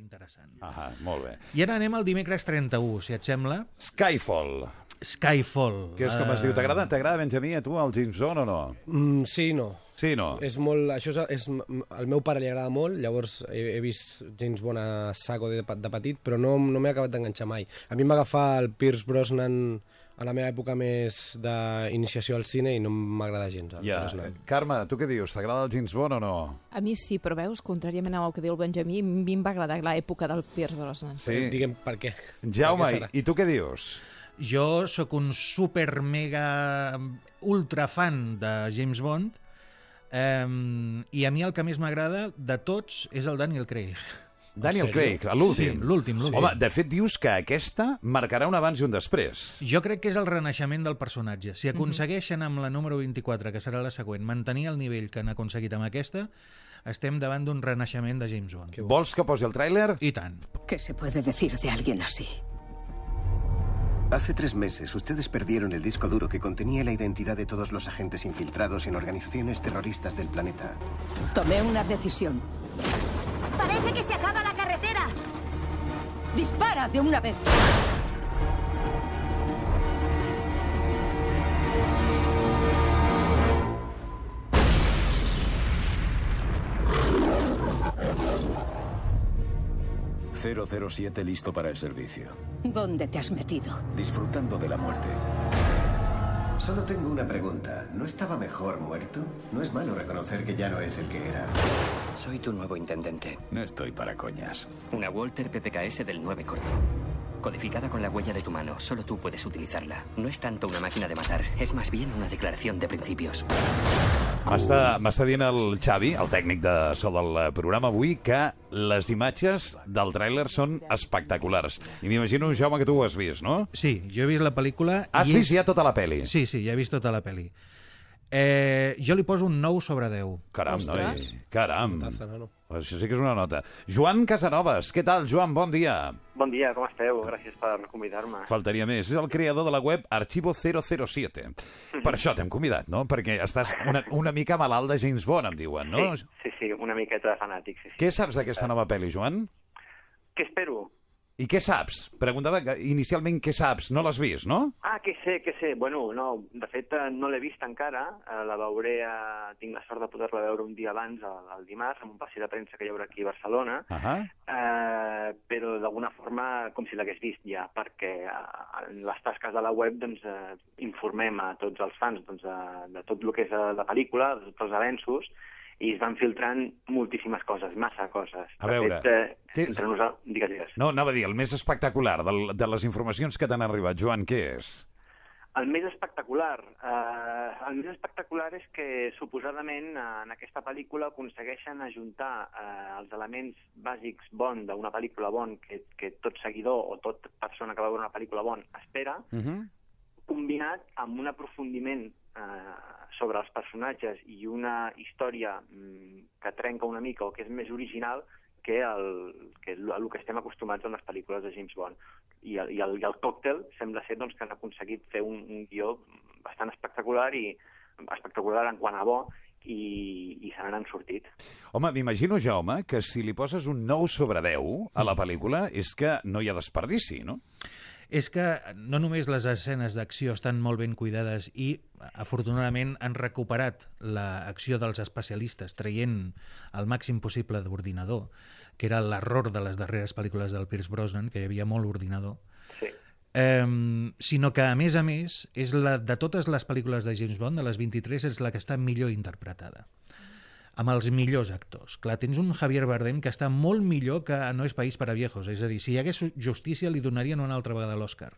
interessant. Ah, molt bé. I ara anem al dimecres 31, si et sembla. Skyfall. Que és com es diu? T'agrada, Benjamí, a tu, el James Bond o no? Sí i no. Sí, no? És molt... Això és... Al meu pare li agrada molt, llavors he vist James Bond a saco de petit, però no m'he acabat d'enganxar mai. A mi em va agafar el Pierce Brosnan a la meva època més d'iniciació al cine i no m'agrada gens. Carme, tu què dius? T'agrada el James Bond o no? A mi sí, però veus, contràriament al que diu el Benjamí, a mi em va agradar l'època del Pierce Brosnan. Sí. Digue'm per què. Jaume, i tu què dius? Jo sóc un super mega ultra fan de James Bond i a mi el que més m'agrada de tots és el Daniel Craig. Daniel Craig, l'últim. Sí, l'últim. Home, de fet dius que aquesta marcarà un abans i un després. Jo crec que és el renaixement del personatge. Si aconsegueixen amb la número 24, que serà la següent, mantenir el nivell que han aconseguit amb aquesta, estem davant d'un renaixement de James Bond. Vols que posi el tràiler? I tant. ¿Qué se puede decir de alguien así? Hace 3 meses, ustedes perdieron el disco duro que contenía la identidad de todos los agentes infiltrados en organizaciones terroristas del planeta. Tomé una decisión. ¡Parece que se acaba la carretera! ¡Dispara de una vez! ...007 listo para el servicio. ¿Dónde te has metido? Disfrutando de la muerte. Solo tengo una pregunta. ¿No estaba mejor muerto? No es malo reconocer que ya no es el que era. Soy tu nuevo intendente. No estoy para coñas. Una Walter PPKS del 9 corto. Codificada con la huella de tu mano. Solo tú puedes utilizarla. No es tanto una máquina de matar, es más bien una declaración de principios. M'està dient el Xavi, el tècnic de so del programa avui, que les imatges del tràiler són espectaculars. I m'imagino, Jaume, que tu ho has vist, no? Sí, jo he vist la pel·lícula... Has vist ja tota la pel·li? Sí, ja he vist tota la pel·li. Jo li poso un 9 sobre 10. Caram, noi, caram. Això sí que és una nota. Joan Casanovas, què tal, Joan? Bon dia. Bon dia, com esteu? Gràcies per convidar-me. Faltaria més. És el creador de la web Archivo 007. Per això t'hem convidat, no? Perquè estàs una mica malalt de James Bond, em diuen, no? Sí, una miqueta de fanàtic, sí. Què saps d'aquesta nova pel·li, Joan? Què espero? I què saps? Preguntava inicialment què saps. No l'has vist, no? Què sé. Bueno, no, de fet no l'he vist encara. La veuré, tinc la sort de poder-la veure un dia abans, el dimarts, en un passeig de premsa que hi haurà aquí a Barcelona. Però d'alguna forma com si l'hagués vist ja, perquè en les tasques de la web doncs, informem a tots els fans de tot el que és la pel·lícula, de tots els avenços, i es van filtrant moltíssimes coses, massa coses. A veure... Entre nosaltres, digues. No, anava a dir, el més espectacular de les informacions que t'han arribat, Joan, què és? El més espectacular és que suposadament en aquesta pel·lícula aconsegueixen ajuntar els elements bàsics Bond d'una pel·lícula Bond que tot seguidor o tot persona que va veure una pel·lícula Bond espera, combinat amb un aprofundiment sobre els personatges i una història que trenca una mica o que és més original que el que estem acostumats en les pel·lícules de James Bond. I el còctel sembla ser que han aconseguit fer un guió bastant espectacular i espectacular en quant a bo i se n'han sortit. Home, m'imagino, Jaume, que si li poses un 9 sobre 10 a la pel·lícula és que no hi ha desperdici, no? És que no només les escenes d'acció estan molt ben cuidades i, afortunadament, han recuperat l'acció dels especialistes, traient el màxim possible d'ordinador, que era l'error de les darreres pel·lícules del Pierce Brosnan, que hi havia molt ordinador, sinó que, a més, és de totes les pel·lícules de James Bond, de les 23, és la que està millor interpretada, amb els millors actors. Clar, tens un Javier Bardem que està molt millor que No és país per a viejos, és a dir, si hi hagués justícia li donarien una altra vegada l'Oscar.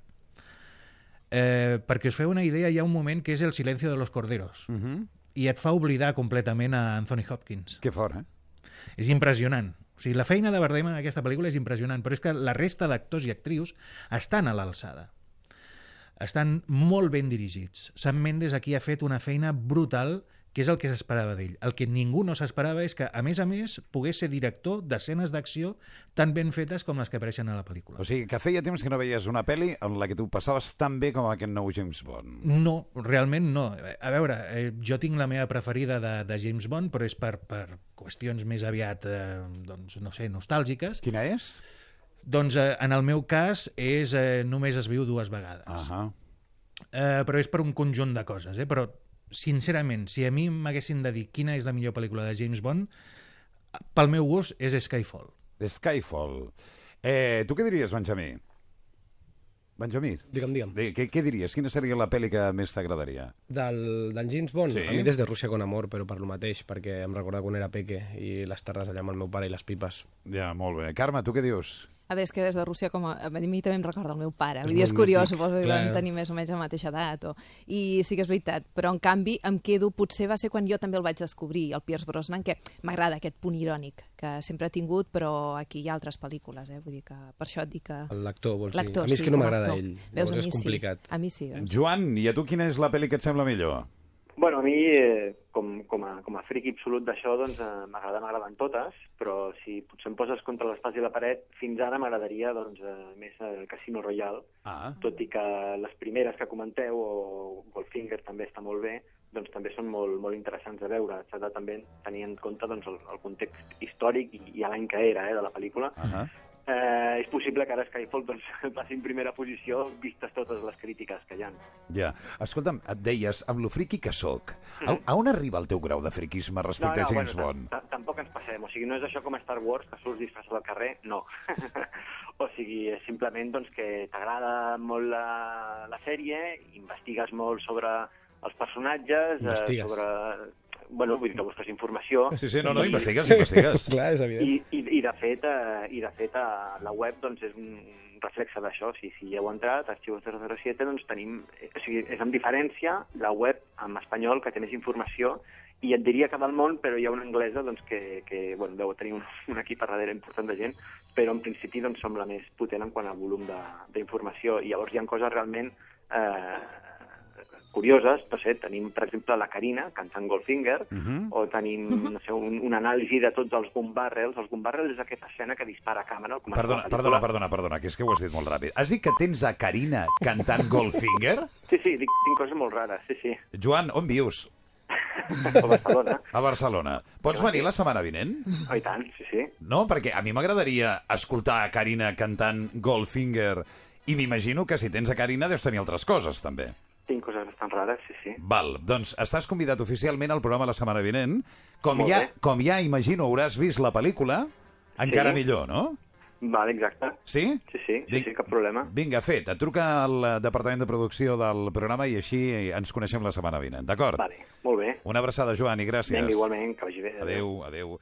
Perquè us feu una idea, hi ha un moment que és El silencio de los corderos, i et fa oblidar completament a Anthony Hopkins. Que fort, És impressionant. O sigui, la feina de Bardem en aquesta pel·lícula és impressionant, però és que la resta d'actors i actrius estan a l'alçada. Estan molt ben dirigits. Sam Mendes aquí ha fet una feina brutal què és el que s'esperava d'ell? El que ningú no s'esperava és que, a més, pogués ser director d'escenes d'acció tan ben fetes com les que apareixen a la pel·lícula. O sigui, que feia temps que no veies una pel·li en la que tu passaves tan bé com aquest nou James Bond. No, realment no. A veure, jo tinc la meva preferida de James Bond, però és per qüestions més aviat, doncs, no sé, nostàlgiques. Quina és? Doncs en el meu cas és Només es viu dues vegades. Però és per un conjunt de coses, però sincerament, si a mi m'haguessin de dir quina és la millor pel·lícula de James Bond, pel meu gust és Skyfall. Skyfall. Tu què diries, Benjamí? Benjamí? Digue'm. Què diries? Quina seria la pel·li que més t'agradaria? Del James Bond? Sí. A mi Des de Rússia con amor, però per lo mateix, perquè em recorda quan era peque i les tardes allà amb el meu pare i les pipes. Ja, molt bé. Carme, tu què dius? A veure, és que Des de Rússia, a mi també em recorda el meu pare. Vull dir, és curiós, suposo que vam tenir més o menys la mateixa edat. I sí que és veritat, però en canvi em quedo, potser va ser quan jo també el vaig descobrir, el Pierce Brosnan, que m'agrada aquest punt irònic, que sempre ha tingut, però aquí hi ha altres pel·lícules, vull dir que per això et dic que... L'actor, vols dir? A mi és que no m'agrada ell, veus, és complicat. A mi sí. Joan, i a tu quina és la pel·li que et sembla millor? Bueno, a mi, com a friqui absolut d'això, doncs m'agraden totes, però si potser em poses contra l'espasa i la paret, fins ara m'agradaria doncs, més Casino Royale, tot i que les primeres que comenteu, o Goldfinger també està molt bé, doncs també són molt, molt interessants de veure. S'ha de també tenir en compte doncs, el context històric i l'any que era de la pel·lícula. És possible que ara Skyfall doncs, passi en primera posició vistes totes les crítiques que hi ha. Ja. Escolta'm, et deies, amb lo friqui que soc, a on arriba el teu grau de friquisme respecte a James Bond? Tampoc ens passem. O sigui, no és això com a Star Wars, que surts disfressat al carrer, no. O sigui, és simplement doncs, que t'agrada molt la sèrie, investigues molt sobre els personatges, sobre... Bueno, vull dir que busques informació. Sí, no, investigues. Clar, és evident. I de fet, la web doncs, és un reflexe d'això. Si hi heu entrat, Arxivos 007, doncs tenim... O sigui, és amb diferència la web en espanyol que té més informació, i et diria que del món, però hi ha una anglesa doncs, que bueno, deu tenir un equip a darrere important de gent, però en principi doncs, som la més potent en quant a volum d'informació. I llavors hi ha coses realment... curioses, no sé, tenim, per exemple, la Carina cantant Goldfinger, o tenim, no sé, una anàlisi de tots els gun barrels. Els gun barrels és aquesta escena que dispara a càmera. Perdona, que és que ho has dit molt ràpid. Has dit que tens a Carina cantant Goldfinger? Sí, tinc coses molt rares, sí. Joan, on vius? A Barcelona. A Barcelona. Pots venir la setmana vinent? Oh, i tant, sí. No, perquè a mi m'agradaria escoltar a Carina cantant Goldfinger, i m'imagino que si tens a Carina deus tenir altres coses, també. Tinc coses bastant rares, sí. Val, doncs estàs convidat oficialment al programa la setmana vinent. Com ja imagino hauràs vist la pel·lícula, encara millor, no? Vale, exacte. Sí? Sí, cap problema. Vinga, fet. Et truca al departament de producció del programa i així ens coneixem la setmana vinent, d'acord? Vale, molt bé. Una abraçada, Joan, i gràcies. Vinga, igualment, que vagi bé. Adéu.